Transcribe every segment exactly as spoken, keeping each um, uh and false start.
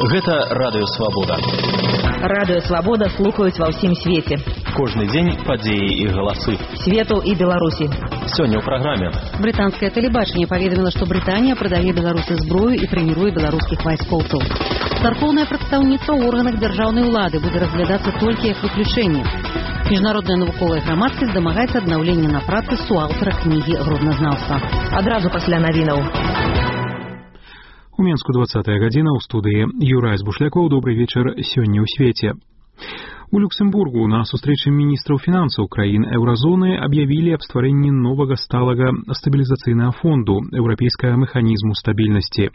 Гэта Радыё Свабода. Радыё Свабода слухаюць ва ўсім свеце. Кожны дзень падзеі і галасы. Свету і Беларусі. Сёння ў праграме. Брытанскае тэлебачанне паведаміла, што Брытанія прадае Беларусі зброю і трэніруе беларускіх вайскоўцаў. Царкоўнае прадстаўніцтва ў органах дзяржаўнай улады будзе разглядацца толькі як выключэнне. Міжнародная навуковая грамадскасць дамагаецца аднаўлення на працы суаўтара кнігі гродназнаўства. Адразу пасля навінаў. У Менску двадцатая гадзіна, ў студыі Юрай Збушлякоў. Добрый вечар сёння ў свеце. У Люксембургу на сустрэчы міністраў фінансаў краін еўразоны аб'явілі аб стварэнні новага сталага стабілізацыйнага фонду еўрапейскага механізму стабільнасці.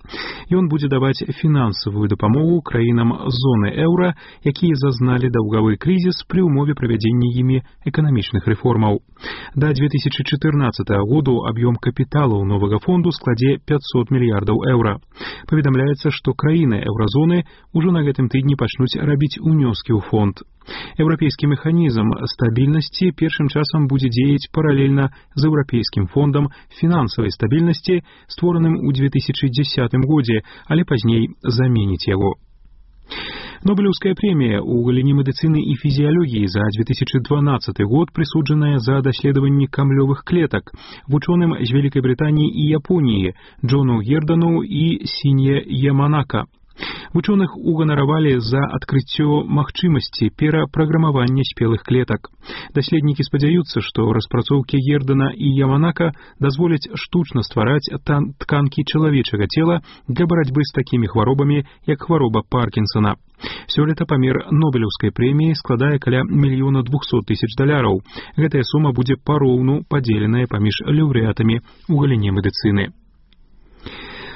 Ён будзе даваць фінансавую дапамогу краінам зоны еўра, якія зазналі даўгавы крызіс пры ўмове правядзення імі эканамічных рэформаў. Да две тысячи чатырнаццатага году аб'ём капіталу новага фонду складзе пятьсот мільярдаў еўра. Паведамляецца, што краіны еўразоны ўжо на гэтым тыдні пачнуць рабіць унёскі ў фонд. Еўрапейскі механізм стабільнасці першым часам будзе дзеяць паралельна з еўрапейскім фондам фінансавай стабільнасці, створаным у две тысячи дзесятым годзе, але пазней заменіць яго. Нобелеўская прэмія ў галіне медыцыны і фізіялогіі за две тысячи дванаццаты год прысуджаная за даследаванні камлёвых клетак вучоным з Вялікай Брытаніі і Японіі Джону Гердану і Сінье Яманака. Вучоных уганаравалі за адкрыццё магчымасці перапраграмавання спелых клетак. Даследнікі спадзяюцца, што распрацоўкі Гердана і Яманака дазволяць штучна ствараць тканкі чалавечага цела для барацьбы з такімі хваробамі, як хвароба Паркінсона. Сёлета памер Нобелеўскай прэміі складае каля мільёна двухсот тысяч даляраў. Гэтая сума будзе пароўну падзеленая паміж лаўрэатамі ў галіне медыцыны.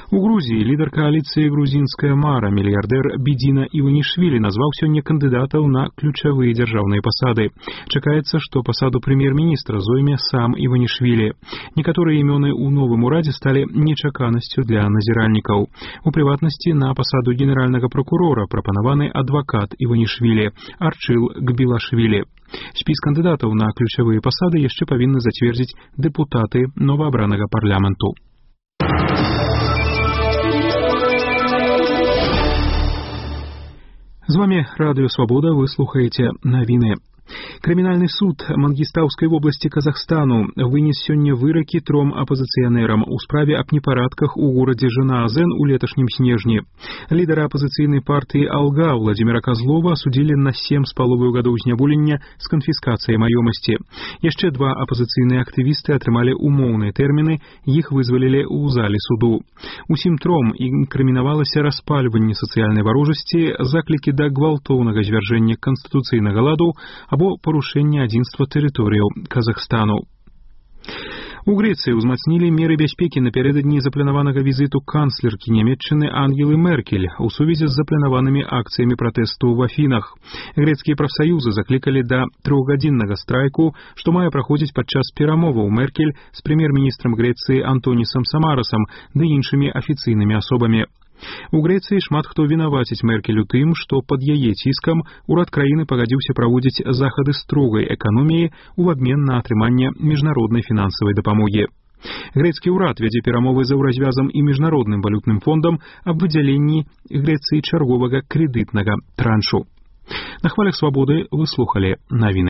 У Грузіі лідар кааліцыі «Грузінская мара» мільярдэр Бідзіна Іванішвілі назваў сёння кандыдатаў на ключавыя дзяржаўныя пасады. Чакаецца, што пасаду прэм'ер-міністра зойме сам Іванішвілі. Некаторыя імёны ў новым урадзе сталі нечаканасцю для назіральнікаў. У прыватнасці на пасаду генеральнага прокурора прапанаваны адвакат Іванішвілі Арчыл Гбілашвілі. Спіс кандыдатаў на ключавыя пасады яшчэ павінны зацвердзіць дэпутаты новаабранага парламенту. З вами Радыё Свабода, вы слухаеце навіны. Крымінальны суд Мангістаўскай вобласці Казахстану вынес сёння выракі тром апазіцыянерам у справе аб непарадках у горадзе Жанаазен у леташнім снежні. Лідара апазіцыйнай партыі «Алга» Владзіміра Казлова асудзілі на сем з паловаю гадоў зняволення з канфіскацыяй маёмасці. Яшчэ два апазіцыйныя актывісты атрымалі умоўныя тэрміны, іх вызвалілі ў зале суду. Усім тром інкрымінавалася распальванне сацыяльнай варожасці, заклікі да гвалтоўнага звяржэння канстытуцыйнага ладу або парушэнне адзінства тэрыторыяў Казахстану. У Грэцыі ўзмацнілі меры бяспекі напярэдадні запланаванага візіту канцлеркі Нямецчыны Ангелы Меркель у сувязі з запланаванымі акцыямі пратэсту ў Афінах. Грэцкія прафсаюзы заклікалі да трохгадзіннага страйку, што мае праходзіць падчас перамоваў Меркель з прэм'ер-міністрам Грэцыі Антонісам Самарасам ды іншымі афіцыйнымі асобамі. У Грэцыі шмат хто вінаваціць Меркель у тым, што пад яе ціскам урад краіны пагадзіўся праводзіць захады строгай эканоміі ў абмен на атрыманне міжнароднай фінансавай дапамогі. Грэцкі ўрад вядзе перамовы з еўразвязам і міжнародным валютным фондам аб выдзяленні Грэцыі чарговага крэдытнага траншу. На хвалях Свабоды вы слухалі навіны.